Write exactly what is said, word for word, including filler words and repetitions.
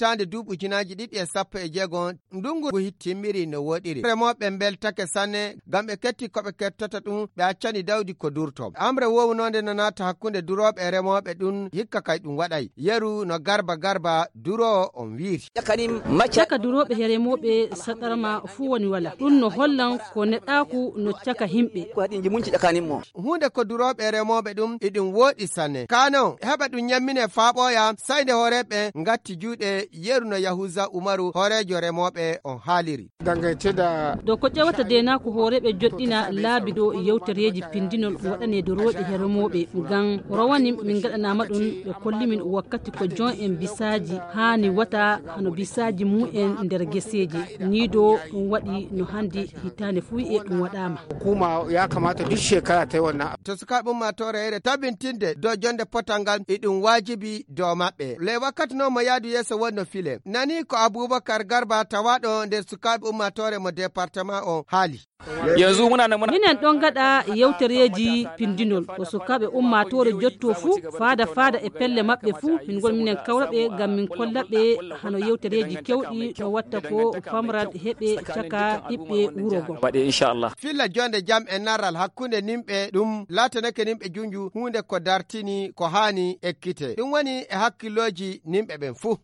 hitaande duuɓi ujunaaji ɗiɗi e sappo e jeego, ndungu ngu timmiri no woɗiri. Remooɓe mbeltake sanne ngam ɓe ketti ko ɓe kettata ɗum, ɓe accani dawdi ko durto. Amre wownoonde no naata hakkunde durooɓe e remooɓe ɗum, hikka kay ɗum waɗay. Yeru no Garba Garba duroowo on wiiri. Caka durooɓe e remooɓe saɗarma fuu woni wala. Ɗum no hollan ko neɗɗaaku no caka himɓe. Huunde ko durooɓe e remooɓe ɗum, iɗum wooɗi sanne. Kano, heɓa ɗum ñammine faa ɓooya, say nde hooreeɓe ngatti juuɗe. Yeru no Yahuza Umaru, hooreejo remooɓe on haaliri. Dangance da Do ko ƴewata deenaaku hooreeɓe joɗɗina laabi ɗo yewtereeji pindinol waɗaneede rooɓe e remooɓe. Ngam rowani min ngaɗanaama ɗum, ɓe kolli min wakkati ko jon en bisaaji haani wata hano bisaaji mum en nder geseeji. Nii ɗo ɗum waɗi no hannde hitaande fuu e ɗum waɗaama. Hukuma ya kamata duk shekara ta yi wannan. To sukaaɓe ummaatoore here tabintinde dow jonde potal ngal, iɗum waajibi dow maɓɓe. Le wakkati noon mo yaadu yeeso wonno file. Nani ko Abubakar Garba tawaaɗo nder sukaaɓe ummaatoore mo departement on haali. Yanzu muna nan muna Minen ɗon ngaɗa yewtereeji pindinol. Ko sukaaɓe ummaatoore jotto fuu, faada faada e pelle maɓɓe fuu, min ngoni minen kawra ɓe ngam min kolla ɓe hano yewtereeji kewɗi no watta ko famral heɓe caka ɓiɓɓe wuro ngo. Waɗe, inchallah. Filla jonde jam e naral hakkunde nimɓe ɗum laatanake nimɓe junju huunde ko dartini ko haani ekkite. Ɗum woni e hakkillooji nimɓe ɓen fuu.